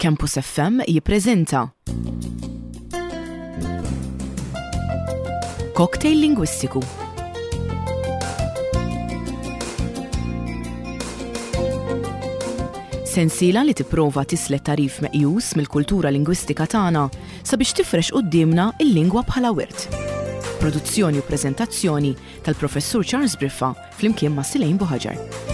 Campus FM jippreżenta Cocktail Lingwistiku. Sensiela li tipprova tislet tagħrif meqjus mill-kultura lingwistika tagħna sabiex tifrex quddiemna l-lingwa bħala wirt. Produzzjoni u preżentazzjoni tal-Professur Charles Briffa flimkien ma' Silejn Buħaġar.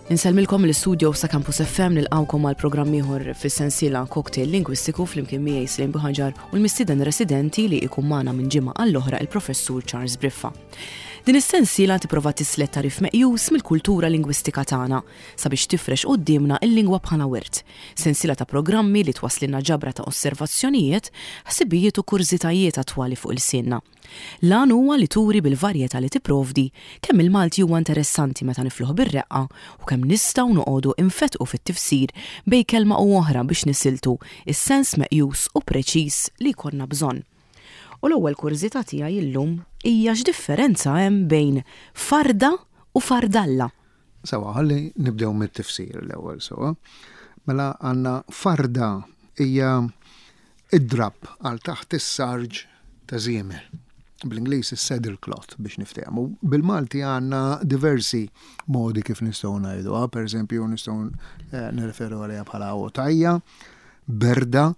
Insellmilkom l-istudio sa' Campus FM nilqawkom għal programm ieħor fis-sensiela Cocktail Lingwistiku flimkien miegħi Slim Buħaġar u l-mistieden residenti li ikun magħna minn ġimgħa għall-oħra il-Professur Charles Briffa. Din is-sensiela tipprova tislet tagħrif meqjus mill-kultura lingwistika tagħna sabiex tifrex quddiemna l-lingwa bħala wirt. Sensiela ta' programmi li twasslilna ġabra ta' osservazzjonijiet, ħsibijiet u kurżitajiet attwali fuq ilsienna. L-għan huwa li turi bil-varjetà li tipprovdi kemm il-Malti huwa interessanti meta nifluh bir-reqqa u kemm nistgħu noqogħdu infettqu fit-tifsir bejn kelma u oħra biex nisiltu s-sens meqjus u preċiż li jkollna bżonn. U l-ewwel kurżità tiegħi illum hija x'differenza hemm bejn farda u fardalla? Sewwa, ħalli nibdew mit-tifsir l-ewwel sewwa. Mela għandna farda hija id-drapp għal taħt is-sarġ ta' żiemel. Bl-Ingliż is-saddle cloth biex niftehmu. Bil-Malti għandna diversi modi kif nistgħu ngħiduha, pereżempju nistgħu eh, nirreferu għaliha bħala għotajja, berda,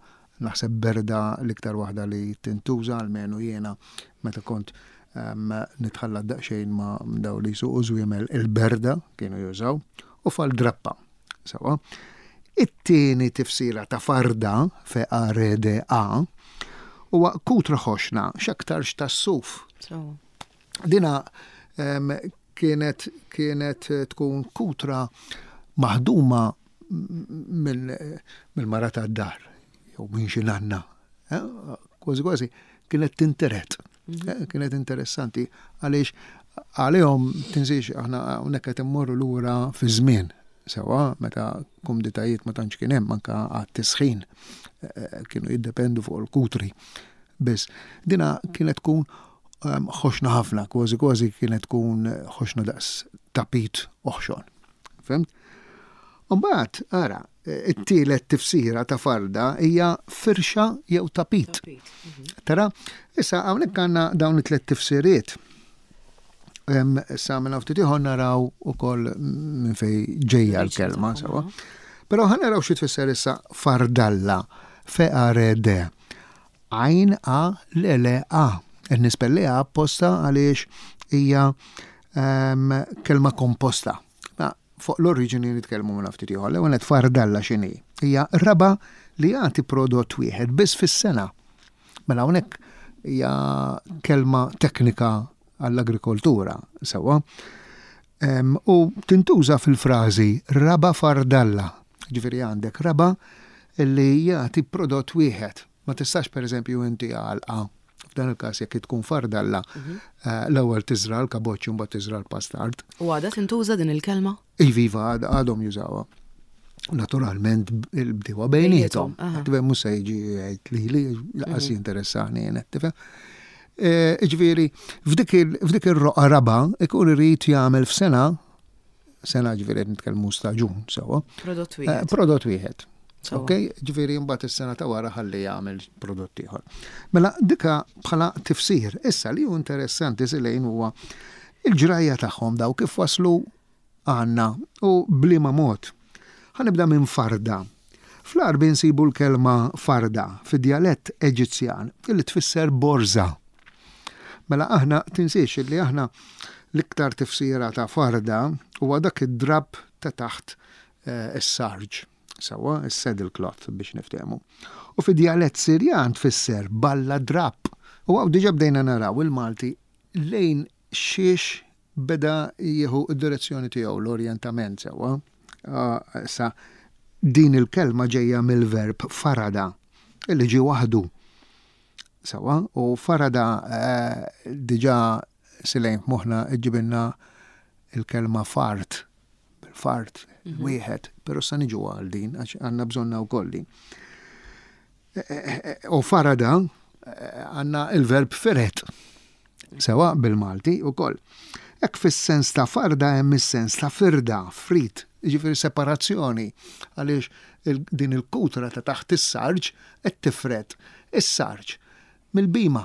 Naħseb berda l-iktar waħda li tintuża, almenu jiena meta kont ehm, nitħallat daqsxejn ma' daw li jsuqu żwiemel il-berda kienu jużaw u fal-drappa. Sawa. It-tieni tifsira ta' farda F-A-R-D-A huwa kutra ħoxna x'aktarx tas-suf. Dina ehm, kienet kienet tkun kutra maħduma mill-mara tad-dar jew minn xi nanna. Eh, kważi kważi kienet tinteret. Mhm. Eh, kienet interessanti għaliex għalihom tinsiex aħna hawnhekk qed immorru lura fi żmien sewa meta kumditajiet ma tantx kien hemm anke għat-tisħin eh, kienu jiddependu fuq il-kutri. Biss dina kienet tkun ehm, ħoxna ħafna, kważi kważi kienet tkun ħoxna daqs tapit oħxon. Fhimt? Umbagħad, ara, it-tielet tifsira ta' farda hija firxa jew tapit. Mhm. Tara, issa hawnhekk għandna dawn it-tliet tifsiriet. Issa minn ftit ieħor naraw ukoll minn fej ġejja l-kelma sewa. Però ħa naraw xi tfisser issa fardalla, F-A-R-D. Għajn A L L A. Qed nispelliha apposta għaliex hija ehm, kelma komposta. Ma fuq l-oriġini nitkellmu minn ftit ieħor. L-ewwel qed fardalla x'inhi. Hija raba li jagħti prodott wieħed biss fis-sena. Mela hawnhekk hija kelma teknika għall-agrikoltura sewwa. Ehm, u tintuża fil-frażi raba fardalla. Ġifieri għandek raba li jagħti prodott wieħed. Ma tistax pereżempju inti għalqa f'dan il-każ jekk tkun fardalla, mhm. eh, l-ewwel tiżra l-kaboċċi mbagħad tiżra l-pastard. U għadha tintuża din il-kelma? Iva, iva, għadhom jużawha. Naturalment il-bdiewa bejniethom. Tifhem mhux se jiġi jgħid li li laqas mhm. jinteressani jien tifhem. Eh, ġifieri, f'dik ir-roqa raba ikun irid jagħmel f'sena sena ġifieri qed nitkellmu staġun sewwa. Prodott eh, wieħed. Prodott wieħed. Ok, ġifieri mbagħad is-sena ta' wara ħalli jagħmel prodott ieħor. Mela dika bħala tifsir, issa li hu interessanti silejn huwa il-ġrajja tagħhom daw kif waslu għandna u b'liema mod. Ħa nibda minn farda. Fl-Għarbi nsibu l-kelma farda fid-djalett Eġizzjan li tfisser borża. Mela aħna tinsiex li aħna l-iktar tifsira ta' farda huwa dak id-drapp ta' taħt eh, is-sarġ. Sewwa, is-saddle cloth biex niftehmu. U fid-djalett Sirjan tfisser balla drapp. U hawn diġà bdejna naraw il-Malti lejn xiex beda jieħu d-direzzjoni tiegħu, l-orjentament sewwa. Issa, din il-kelma ġejja mill-verb farada, li ġie waħdu. Sewwa, u farada eh, diġà silejn f'moħħna ġibilna il-kelma fart, bil-fart, mhm. wieħed, però sa niġu għal din, għax għandna bżonna wkoll din. U farada għandna il-verb firet. Sewa bil-Malti ukoll. Hekk fis-sens ta' farda hemm is-sens ta' firda, frit, jiġifieri separazzjoni, għaliex din il-kutra ta' taħt is-sarġ qed tifred is-sarġ mill-bhima,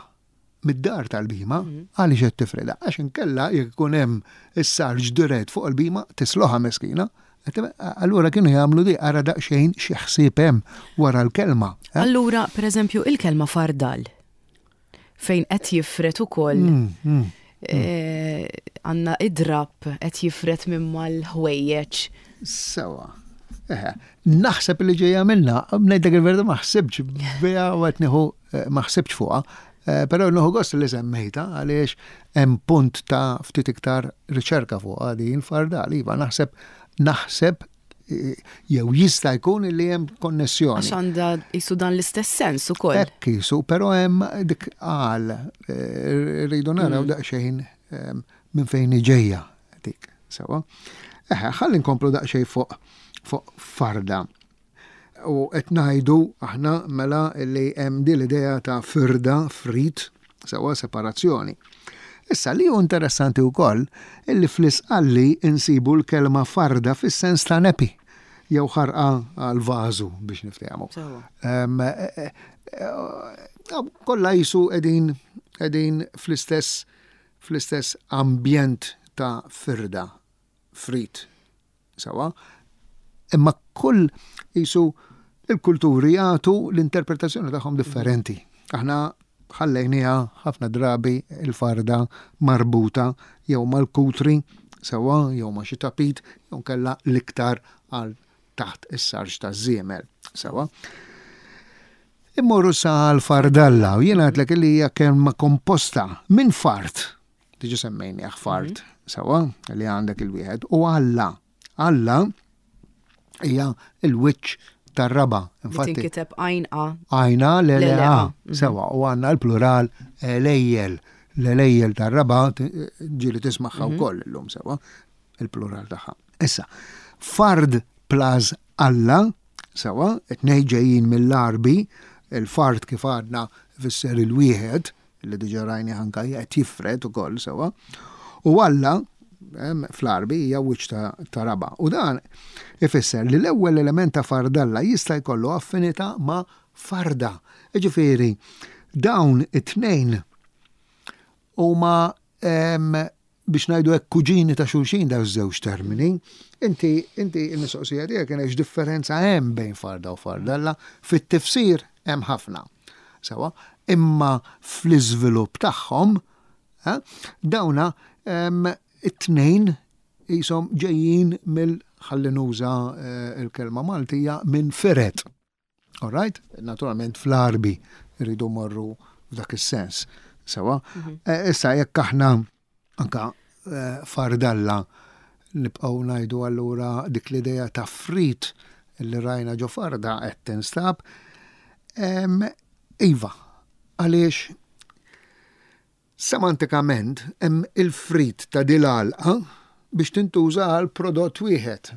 mid-dar tal-bhima, għaliex qed tifredha? Għax inkella jekk ikun hemm is-sarġ dirett fuq il-bhima tisloħha meskina. Allura kienu jagħmlu di ara daqsxejn xi ħsieb hemm wara l-kelma. Allura, pereżempju, il-kelma fardal fejn qed jifred ukoll għandna id-drapp qed jifred minn mal-ħwejjeġ. Sewa. Naħseb li ġejja minna, ngħidlek il-verità ma ħsibx biha u qed nieħu ma ħsibx fuqha, però nieħu gost li semmejta għaliex hemm punt ta' ftit iktar riċerka fuqha din fardal. Iva, naħseb naħseb jew jista' jkun li hemm konnessjoni. Għax għandha jisu dan l-istess sens ukoll. Hekk jisu, però hemm dik qal eh, rridu naraw mm. daqsxejn eh, minn fejn ġejja dik. Sewa. Eħe, ħalli nkomplu daqsxejn fuq fuq farda. U qed ngħidu aħna mela li hemm din l-idea ta' firda, frit, sewa separazzjoni. Issa li hu interessanti wkoll illi fl-Isqalli insibu l-kelma farda fis-sens ta' nepi jew ħarqa għal vażu biex niftehmu. E, e, e, kollha jisu qegħdin qegħdin fl-istess fl-istess ambjent ta' firda, frit. Sewwa? Imma kull qisu il-kulturi jagħtu l-interpretazzjoni tagħhom differenti. Aħna ħallejniha ħafna drabi il-farda marbuta jew mal-kutri sewwa jew ma' xi tapit jew nkella l-iktar għal taħt is-sarġ taż-żiemel. Sewwa. Immorru sa l-fardalla u jiena għedtlek li hija kelma komposta minn fart Diġa semmejnieh fart, mhm. sewa, li għandek il-wieħed, u Alla. Alla hija il-wiċċ tar-raba. Infatti. Tinkiteb għajn A. Għajna l le A. Mhm. Sewa, u għandna l-plural elejjel. L-elejjel tar-raba ġieli tismaħħa mhm. wkoll illum sewa, il-plural tagħha. Issa, fard plus Alla, sewa, it-tnej ġejjin mill-Arbi, il-fard kif għadna fisser il-wieħed, li diġà rajnih anke qed jifred ukoll sewwa, u Alla fl-Għarbi hija wiċċ ta' raba'. U dan ifisser li l-ewwel element ta' fardalla jista' jkollu affinità ma' farda. Jiġifieri dawn it-tnejn huma biex ngħidu hekk kuġini ta' xulxin dawn iż-żewġ termini. Inti inti l-mistoqsija tiegħek kienet x'differenza hemm bejn farda u fardella, fit-tifsir hemm ħafna. Sewa, imma fl-iżvilupp tagħhom eh, dawna it-tnejn qishom ġejjin mill ħalli nuża eh, il-kelma Maltija minn firet. All right? Naturalment fl-Arbi rridu morru f'dak is-sens. Sewa. Mhm. Eh, issa jekk aħna anka eh, fardalla nibqgħu ngħidu allura dik l-idea ta' frit li rajna ġo farda qed tinstab. Iva, għaliex Semantikament hemm il-frit ta' dil-għalqa biex tintuża għal prodott wieħed.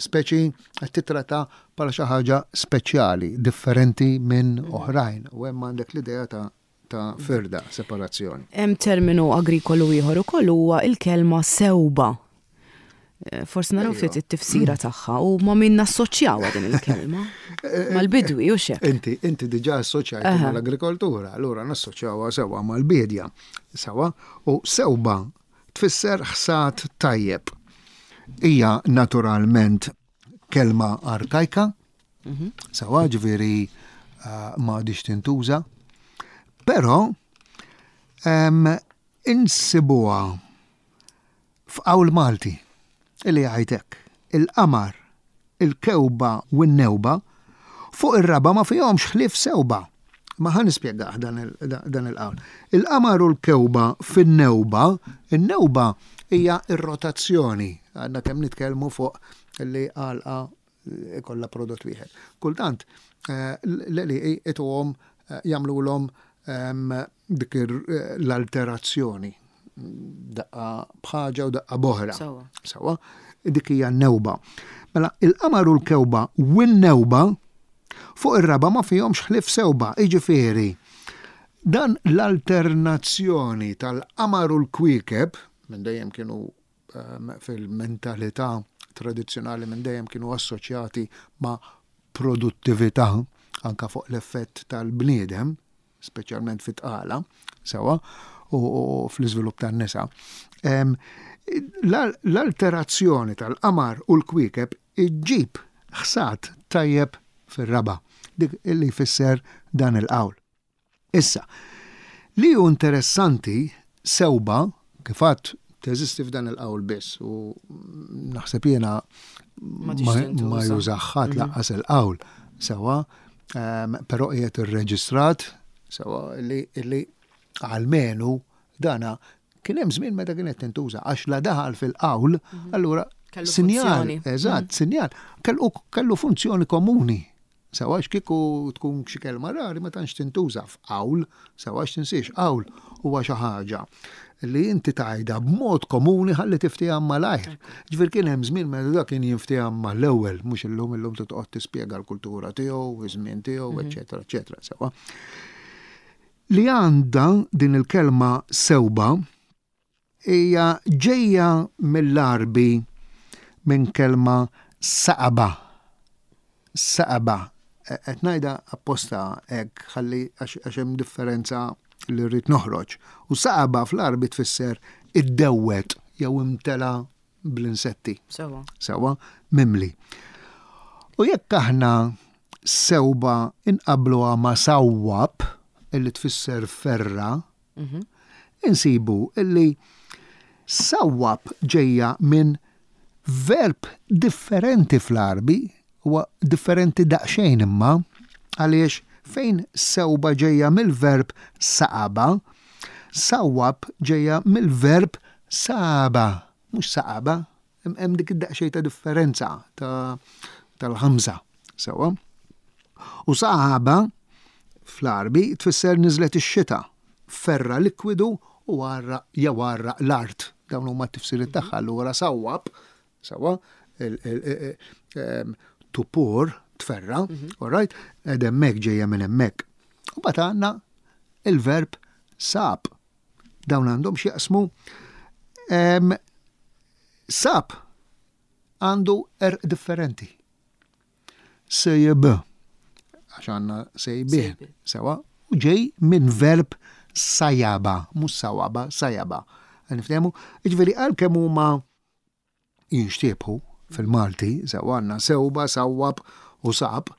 Speċi qed titratta bħala xi ħaġa speċjali, differenti minn oħrajn u hemm għandek l-idea ta' ta' firda, separazzjoni. Hemm terminu agrikolu ieħor ukoll huwa l-kelma sewba. Eh, forsi naraw ftit it-tifsira tagħha u ma min nassoċjawha din il-kelma. Mal-bidwi u xek. Inti, inti diġà assoċjajt mal-agrikoltura, allura nassoċjawha sewwa mal-bidja. Sewwa, u sewba tfisser ħsad tajjeb. Hija naturalment kelma arkajka, mhm. sewwa ġifieri eh, ma għadix tintuża, però insibuha F'qawl Malti, li jgħid hekk, Il-qamar, il-kewba u n-newba, fuq ir-raba' ma fihomx ħlief sewba. Ma ħa nispjegah dan il-qawl. Il-qamar u l-kewba fin-newba, in-newba hija r-rotazzjoni, għadna kemm nitkellmu fuq li għalqa ikollha prodott wieħed. Kultant eh, l-għelieqi ituhom eh, jagħmlulhom ehm, dik l-alterazzjoni daqqa bħaġa u daqqa boħra. Sawa, dik hija newba. Mela, il-qamar u l-kewba u n-newba, Fuq ir-raba' ma fihomx ħlief sewba, jiġifieri, dan l-alternazzjoni tal-qamar u l-kwiekeb, minn dejjem kienu fil-mentalità tradizzjonali minn dejjem kienu assoċjati ma' produttività, anke fuq l-effett tal-bniedem, speċjalment fit-tqala, sewwa, u fl-iżvilupp tan-nisa. L-alterazzjoni tal-qamar u l-kwiekeb iġġib ħsad tajjeb fir-raba', dik li jfisser dan il-qawl. Issa, li hu interessanti, sewba, kif għedt, teżisti f'dan il-qawl biss u naħseb jiena ma jużah ħadd lanqas il-qawl, sewwa, però qiegħed irreġistrat sewwa li almenu dana kien hemm żmien meta kienet tintuża għax la daħal fil-qawl, allura sinjal, eżatt, sinjal, kellu funzjoni komuni. Sewa għax kieku tkun xi kelma rari ma tantx tintuża f'qawl, sewa għax tinsiex qawl huwa xi ħaġa li inti tgħidha b'mod komuni ħalli tiftiehem malajr. Ġifier kien hemm żmien meta dak kien jinftiehem mal-ewwel, mhux illum illum trid toqgħod tispjega l-kultura tiegħu, iż-żmien tiegħu, eċċetera, eċċetera, sewa. Li għandha din il-kelma sewba Hija ġejja mill-Għarbi minn kelma saqaba. Saqaba. Qed ngħidha apposta hekk ħalli għax hemm differenza li rrid noħroġ. U saqaba fl-Għarbi tfisser iddewwed jew imtela bl-insetti. Sewa. Sewa, mimli. U jekk aħna sewba inqabluha ma' sawwab, illi tfisser ferra, mhm. insibu illi sawwab ġejja minn verb differenti fl-Għarbi, huwa differenti daqsxejn imma, għaliex fejn sewba ġejja mill-verb saqaba, sawwab ġejja mill-verb saba, mhux saqaba, hemm dik id-daqsxejn ta' differenza tal-ħamża, sewwa. U saqaba fl-Għarbi tfisser niżlet ix-xita, ferra likwidu u għarraq jew għarraq l-art. Dawn huma t-tifsiriet tagħha. Allura sawwab, sewwa, to pour, tferra, mhm. all right, ed hemmhekk ġejja minn hemmhekk. U mbagħad għandna il-verb sab. Dawn għandhom x'jaqsmu sab għandu erq differenti. Sejb, għax għandna sejbien, sewa, u ġej minn verb sajaba, mhux sawaba, sajaba. Niftehmu? Jiġifieri għalkemm huma jinxtiebħu fil-Malti, sewa għandna sewba, sawwab u sab,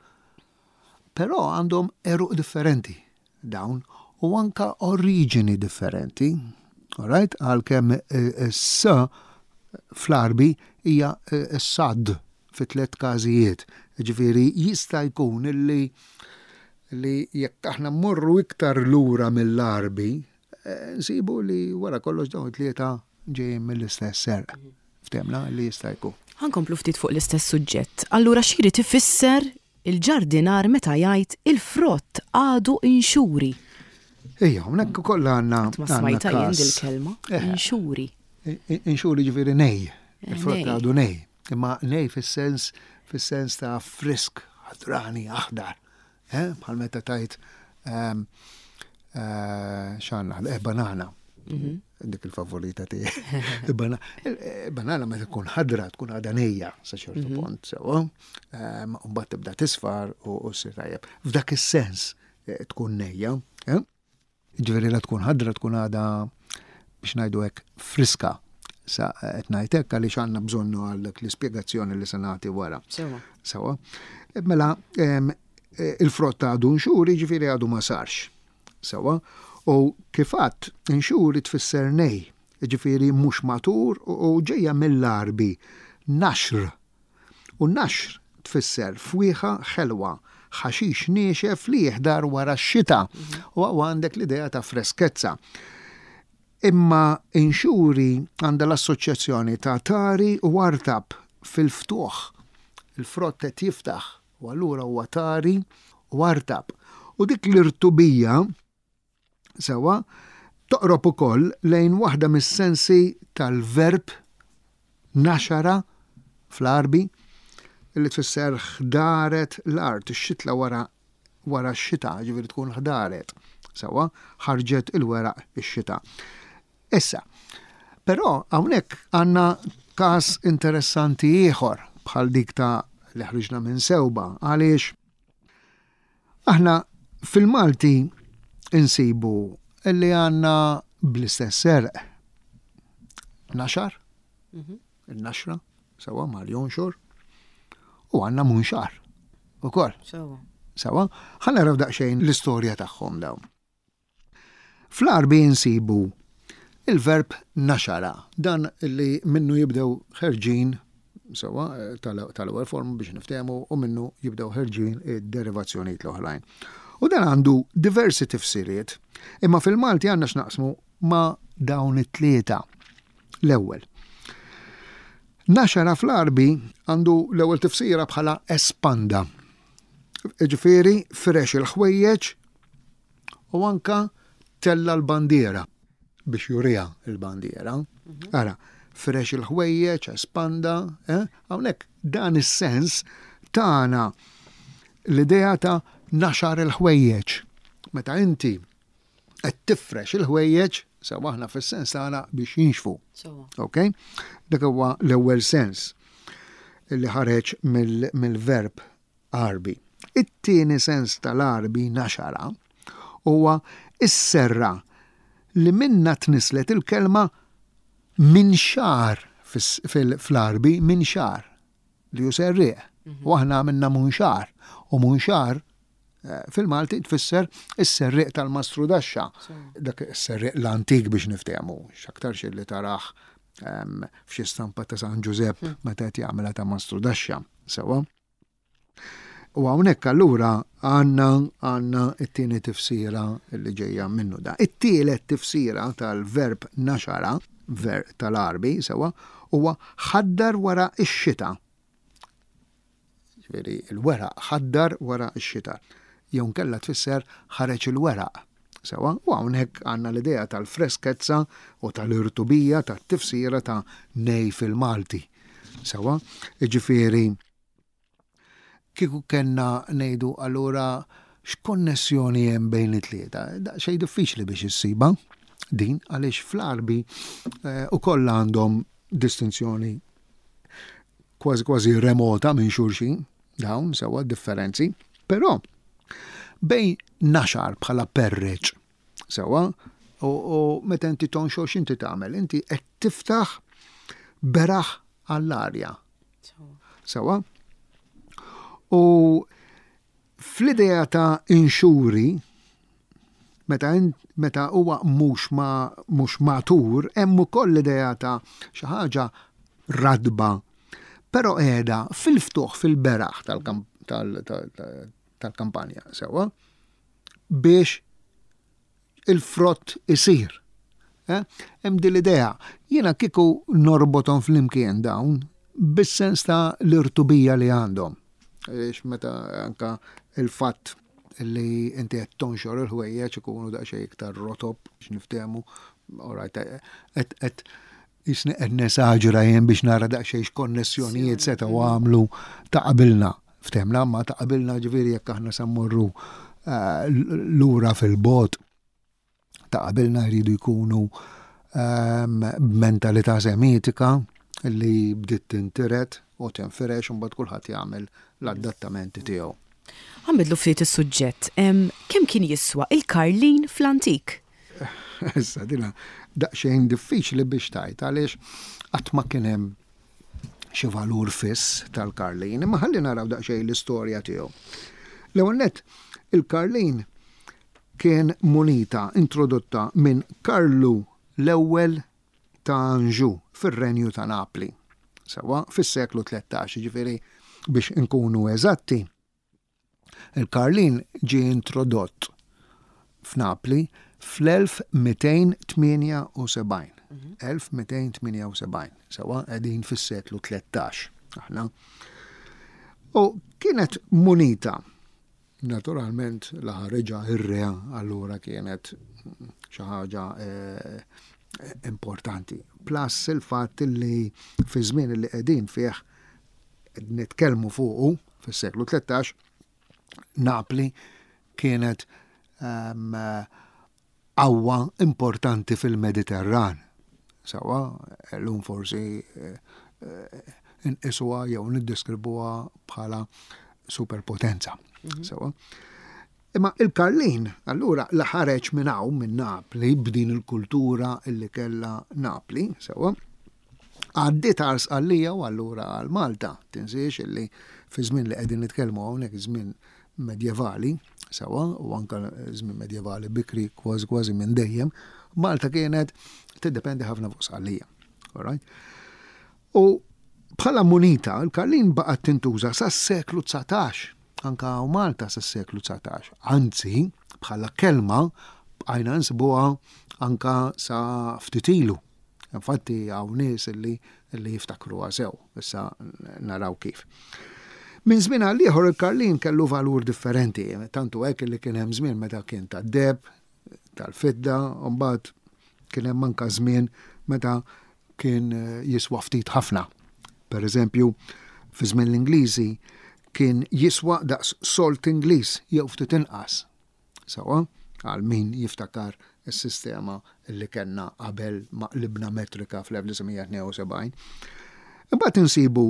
però għandhom għeruq differenti dawn u anka oriġini differenti. Alright? Għalkemm s fl-Għarbi hija s-sad fi tlett każijiet. Ġifieri jista' jkun illi li jekk aħna mmorru iktar lura mill-Għarbi, eh, nsibu li wara kollox dawn it-tlieta ġejjin mill-istess serq. Ftemna li jista' jkun. Ħankomplu ftit fuq l-istess suġġett. Allura x'jrid ifisser il-ġardinar meta jgħid il-frott għadu inxuri? Ejja, hawnhekk ukoll għandna. Ma smajta jien dil-kelma. Eh. Inxuri. Inxuri ġifieri nej. Eh, il-frott għadu nej. Imma nej fis-sens fis-sens ta' frisk, ħadrani, aħdar. Eh, bħal meta tajt ehm, eh, xanna, eh, banana. Mhm. Dik il-favorita tiegħi. Banana meta tkun ħadra tkun għadha nejja sa ċertu mhm. punt, sewa. Ehm, u mbagħad tibda tisfar u ssir tajjeb. F'dak is-sens tkun nejja. Jiġifieri la tkun ħadra tkun għadha biex ngħidu hekk friska. Sa qed ngħid hekk għaliex għandna bżonnu għal dak l-ispjegazzjoni li se nagħti wara. Sewa. Sewa. Mela il-frott għadu nxuri jiġifieri għadu ma sarx. Sewa. U kif għadt nxuri tfisser nej, jiġifieri mhux matur u ġejja mill-Għarbi naxr U naxr tfisser fwieħa ħelwa, ħaxix niexef li jiħdar wara x-xita. U hawn għandek l-idea ta' freskezza. Imma inxuri għandha l-assoċjazzjoni ta' tari u artab fil-ftuħ. Il-frott qed jiftaħ u allura huwa tari u artab. U dik l-irtubija Sewwa, toqrob ukoll lejn waħda mis-sensi tal-verb naxara fl-Għarbi. li tfisser ħdaret l-art, ix-xitla wara wara x-xita, ġifieri tkun ħdaret. Sewwa, ħarġet il-weraq ix-xita. Issa, però hawnhekk għandna każ interessanti ieħor bħal dik ta' li ħriġna minn sewba għaliex aħna fil-Malti insibu li għandna bl-istess serq naxar, mhm. il-naxra, sewa mal jonxor, u għandna munxar ukoll. Sewa. Sewa, ħa naraw daqsxejn l-istorja tagħhom dawn. Fl-Għarbi insibu il-verb naxara, dan li minnu jibdew ħerġin sewwa tal-ewwel forma biex niftehmu u minnu jibdew ħerġin id-derivazzjonijiet l-oħrajn. U dan għandu diversi tifsiriet, imma fil-Malti għandna x'naqsmu ma' dawn it-tlieta. L-ewwel. Naxara fl-Għarbi għandu l-ewwel tifsira bħala espanda. Ġifieri firex il-ħwejjeġ u anka tella l-bandiera biex juriha l-bandiera. Mhm. Ara, firex il-ħwejjeġ, espanda, eh? hawnhekk dan is-sens tagħna l-idea ta' naxar il-ħwejjeġ. Meta inti qed tifrex il-ħwejjeġ, sewa aħna fis-sens tagħna biex jinxfu. Ok? Dak huwa l-ewwel sens li ħareġ mill-verb Għarbi. It-tieni sens tal-Għarbi naxara huwa s-serra li minnha tnisslet il-kelma minxar fl-Għarbi minxar li hu serrieq. Mhm. U aħna għamilna munxar u munxar eh, fil-Malti tfisser is-serrieq tal-mastrudaxxa. Dak is-serrieq l-antik biex niftehmu, x'aktarx li taraħ ehm, f'xi stampa ta' San Ġużepp hmm. meta qed jagħmilha ta' mastrudaxxa. Sewa. U hawnhekk allura għandna għandna t-tieni tifsira li ġejja minnu da. It-tielet tifsira tal-verb naxara, ver tal-Għarbi, sewa, huwa ħaddar wara x-xita. Ġifieri il-weraq ħaddar wara x-xita. Jew nkella tfisser ħareġ il-weraq. Sewa, u hawnhekk għandna l-idea tal-freskezza u tal-irtubija tat-tifsira ta' nej fil-Malti. Sewa, jiġifieri kieku kellna ngħidu allura x'konnessjoni hemm bejn it-tlieta? Daqsxejn diffiċli biex issibha din għaliex fl-Għarbi eh, ukoll għandhom distinzjoni kważi kważi remota minn xulxin. Dawn sewwa differenzi, però bejn naxar bħala perreċ sewwa u, u meta inti tonxor x'inti tagħmel? Inti qed tiftaħ beraħ għall-arja. Sewwa? U fl-idea ta' inxuri, meta meta huwa mhux ma mhux matur, hemm ukoll l-idea ta' xi ħaġa ratba, però qiegħda fil-ftuħ fil-beraħ tal-kampanja sewwa biex il-frott isir. Eh? Hemm din l-idea. Jiena kieku norbothom flimkien dawn bis-sens ta' l-irtubija li għandhom. Għaliex meta anka il-fatt li inti qed tonxor il-ħwejjeġ ikunu daqsxejn iktar rotob biex niftehmu, alright, qed jisni qed nesaġra jien biex nara daqsxejn x'konnessjonijiet setgħu għamlu ta' qabilna. Ftehmna ma ta' qabilna ġifieri jekk aħna se mmorru eh, lura fil-bot ta' qabilna jridu jkunu ehm, b'mentalità semitika li bdiet tintiret u tinfirex u mbagħad kulħadd jagħmel l-adattamenti tiegħu. Ħanbidlu ftit is-suġġett. Kemm kien jiswa il-karlin fl-antik? Issa dina daqsxejn diffiċli biex tgħid għaliex qatt ma kien hemm xi valur fiss tal-karlin, imma ħalli naraw daqsxejn l-istorja tiegħu. L-ewwel nett, il-karlin kien munita introdotta minn Karlu l-Ewwel ta' Anjou fir-Renju ta' Napli, sewwa fis-seklu 13, jiġifieri biex inkunu eżatti, il-karlin ġie introdott f'Napli fl-1278. 1278, sewwa qegħdin fis-seklu 13 aħna. U kienet munita Naturalment la ħariġha ir-re allura kienet xi ħaġa eh, importanti. Plus il-fatt li fi żmien li qegħdin fih nitkellmu fuqu fis-seklu 13, Napli kienet ehm, qawwa importanti fil-Mediterran. Sewwa, llum forsi nqisuha jew niddeskribuha bħala superpotenza. Mhm. Sewwa. Imma il-Karlin, allura, la ħareġ minn hawn minn Napli b'din il-kultura li kellha Napli, sewwa, għaddiet għal Sqallija u allura għal Malta. Tinsiex illi fi żmien li qegħdin nitkellmu hawnhekk żmien medjevali, sewwa, u anke żmien medjevali bikri kważi kważi minn dejjem, Malta kienet tiddependi ħafna fuq Sqallija. All right? U bħala munita, l-karlin baqgħet tintuża sas-seklu 19, anka hawn Malta sas-seklu 19. Anzi, bħala kelma bqajna nsibuha anka sa ftit ilu. Infatti hawn nies li li jiftakruha sew, issa naraw kif. Minn żmien għal ieħor il-karlin kellu valur differenti, tantu hekk li kien hemm żmien meta kien tad-deheb, tal-fidda, u mbagħad kien hemm anka żmien meta kien jiswa ftit ħafna. Per eżempju, fi żmien l-Ingliżi kien jiswa daqs solt Ingliż jew ftit inqas. Sewwa, għal min jiftakar is-sistema li kellna qabel ma qlibna metrika fl-1972. Imbagħad insibu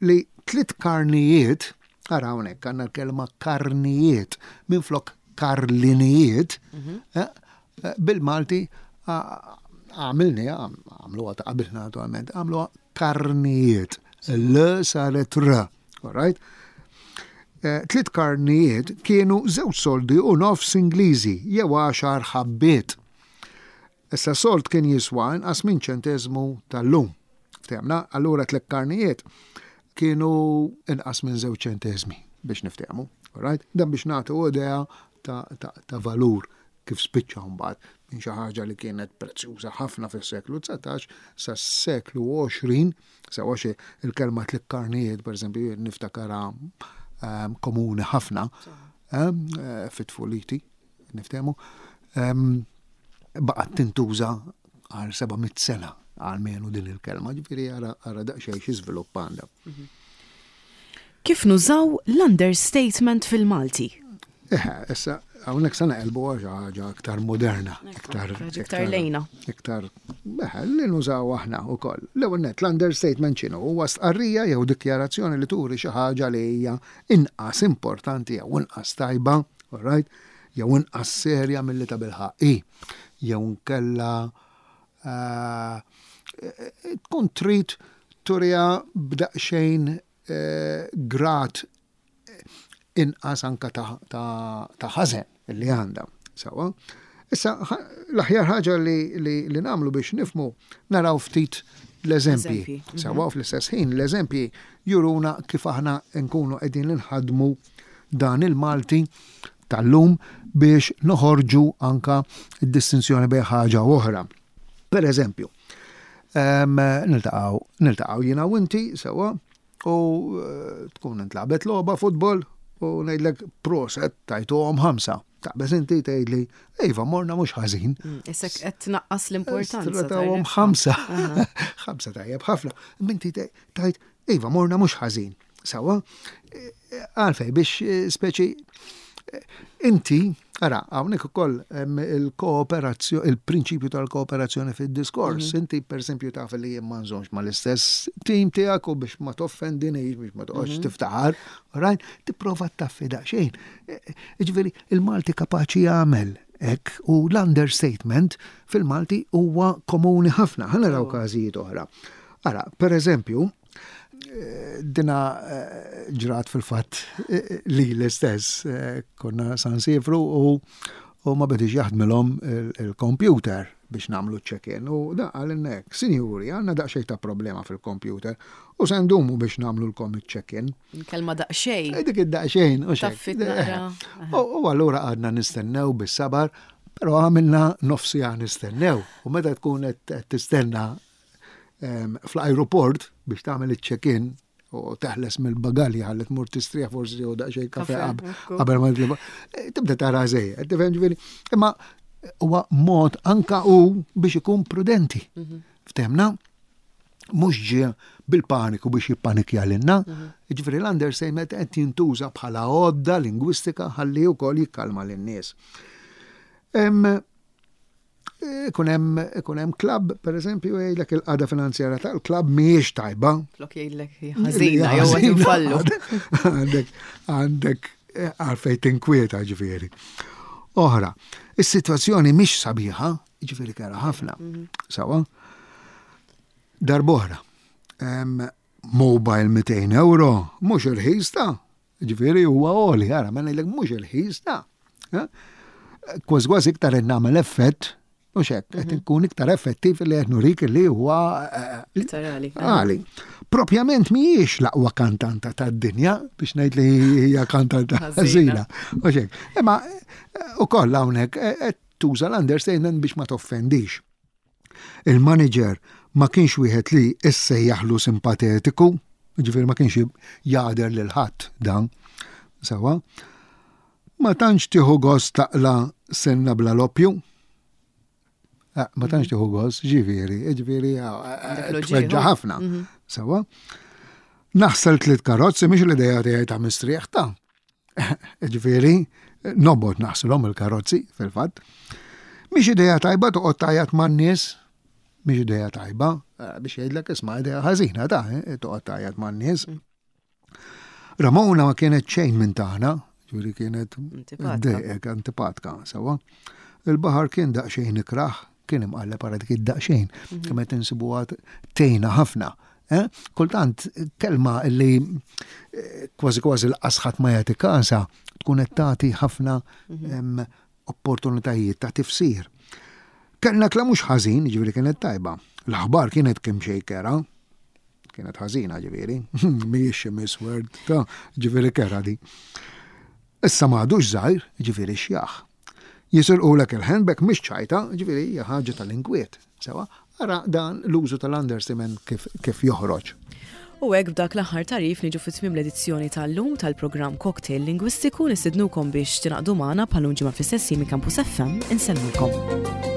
li tliet karnijiet, ara hawnhekk għandna l-kelma karnijiet minflok karlinijiet, mhm. eh, eh, bil-Malti għamilni, għamluha ta' qabilna naturalment, għamluha karnijiet. L saret r. All right? Eh, tliet karnijiet kienu żewġ soldi u nofs Ingliżi jew għaxar ħabbiet. Issa sold kien jiswa inqas minn ċenteżmu tal-lum. Ftehmna, allura tliet karnijiet kienu inqas minn żewġ ċenteżmi biex niftehmu. Right? Dan biex nagħtu idea ta', ta, ta valur kif spiċċa mbagħad minn xi ħaġa li kienet prezzjuża ħafna fis-seklu 19 sas-seklu 20 Sewa xi il-kelma tlikkarnijiet, per eżempju, niftakarha ehm, komuni ħafna ehm, eh, fit-tfuliti, niftehmu, ehm, baqgħet tintuża għal 700 sena għalmenu din il-kelma, ġifieri ara daqsxejn xi żvilupp għandha. Mhm. Kif nużaw l-understatement fil-Malti? Eħe, issa, hawnhekk se naqilbu għal xi ħaġa aktar moderna, iktar iktar lejna. Iktar eħe, li nużaw aħna wkoll. L-ewwel nett l-understatement x'inhu? Huwa stqarrija jew dikjarazzjoni li turi xi ħaġa li hija inqas importanti jew inqas tajba, all right, jew inqas serja milli tabilħaqq hi. Jew inkella eh, tkun trid turiha b'daqsxejn eh, grad inqas anka ta' ħażen li għandha. Sawa. Issa, l-aħjar ħaġa li, li, li nagħmlu biex nifmu naraw ftit l-eżempji. Mhm. Sawa fl-istess ħin l-eżempji juruna kif aħna nkunu qegħdin nħadmu dan il-Malti tal-lum biex noħorġu anka d-distinzjoni bejn ħaġa u oħra. Per eżempju, niltaqgħu niltaqgħu jiena u inti sewwa u eh, tkun intlabet logħba futbol u ngħidlek proset tajtuhom ħamsa. Taqbeż inti tgħidli, iva morna mhux ħażin. Mm, issa qed tnaqqas l-importanza. Tawhom ħamsa. Ħamsa tajjeb ħafna. Minti tgħid, iva morna mhux ħażin. Sawa, għalfej biex eh, speċi eh, inti, ara, hawnhekk ukoll il-kooperazzjoni, il-prinċipju tal-kooperazzjoni fid-diskors. Mhm. Inti pereżempju taf li jien ma nżommx mal-istess tim tiegħek u biex ma toffendinix, biex ma toqgħodx mhm. tiftaħar, right? Tipprova taffi daqsxejn. Eh, ġifieri, il-Malti kapaċi jagħmel hekk u l-understatement fil-Malti huwa komuni ħafna. Ħa naraw oh. każijiet oħra. Ara, per eżempju, Dina eh, ġrat fil-fatt eh, li l-istess eh, konna San Sifru u u ma bedix jaħdmilhom il-computer biex namlu check-in u da għalinna hekk, sinjuri, għandna daqsxejn ta' problema fil-computer u se ndumu biex namlu l-kom check-in. Kelma daqsxejn. Dik id-daqsxejn u xejn. U allura għadna nistennew bis-sabar, però għamilna nofsija nistennew u meta tkun qed tistenna fl-ajruport biex tagħmel iċ-check-in u teħles mill-bagalja ħalli tmur tistrieħ forsi jew daqsxejn kafe qabel ma eh, tibda tara żejjed, tifhem ġifieri. Imma huwa mod anka u biex ikun prudenti. Mhm. Ftemna? Mhux ġie bil-paniku biex jippanikja lilna, mhm. ġifieri l-understatement qed jintuża bħala għodda lingwistika ħalli wkoll jikkalma lin-nies. Ikun hemm ikun hemm klabb, pereżempju, jgħidlek il-qagħda finanzjarja tal-klabb mhijiex tajba. Flok jgħidlek ħażina jew qed infallu. Għandek għandek eh, għalfejn tinkwieta ġifieri. Oħra, is-sitwazzjoni mhix sabiħa, ġifieri kera ħafna. Mhm. Sawa? Darb'oħra, mobile 200 euro, mhux irħis ta' Ġifieri huwa għoli, ara, ma ngħidlek mhux irħis ta' eh? Kważi kważi iktar qed nagħmel effett, mhux hekk, qed mhm. inkun iktar effettiv li qed nurik li huwa eh, iktar għali. Għali. Propjament mhijiex l-aqwa kantanta tad-dinja biex ngħid li hija kantanta ħażina. Mhux hekk. Imma eh, ukoll hawnhekk qed tuża l-understatement biex ma toffendix. Il-maniġer ma kienx wieħed li issejjaħlu simpatetiku, jiġifieri ma kienx jagħder lil ħadd dan. Sewwa. Ma tantx tieħu gost taqla' senna bla loppju. Eh, ma tantx tieħu gost, ġifieri, ġifieri eh, tweġġa' ħafna. Mhm. Sewwa. Naħsel tliet karozzi mhix l-idea tiegħi ta' mistrieħ ta' Ġifieri, nobgħod naħsilhom il-karozzi fil-fatt. Mhix idea tajba toqgħod tgħajjat man-nies, mhix idea tajba eh, biex jgħidlek isma' idea ħażina ta' eh, toqgħod tgħajjat man-nies. Ramona ma kienet xejn minn tagħna, ġifieri kienet dejqek antipatka, sewwa. Il-baħar kien daqsxejn ikrah, kien imqalleb ara dik id-daqsxejn, mhm. kemm qed insibuha tgħinna ħafna. Eh? Kultant kelma li eh, kważi kważi l-qasħat ma jagħti kasa tkun qed tagħti ħafna mhm. opportunitajiet ta' tifsir. Kellna kla mhux ħażin, ġifieri kienet tajba. L-aħbar kienet kemm xejn kera, kienet ħażina ġifieri, mhijiex xi misword, ta' ġifieri kera di. Issa m'għadux żgħir, ġifieri xjaħ. Jisirqulek il-handbag mhix ċajta, ġifieri hija ħaġa tal-inkwiet. Sewa, ara dan l-użu tal-understatement kif, kif joħroġ. U hekk b'dak l-aħħar tagħrif niġu fi tmiem l-edizzjoni tal-lum tal-programm Cocktail Lingwistiku nistidnukom biex tingħaqdu magħna bħal ġimgħa fl-istess minn Campus FM insellmulkom.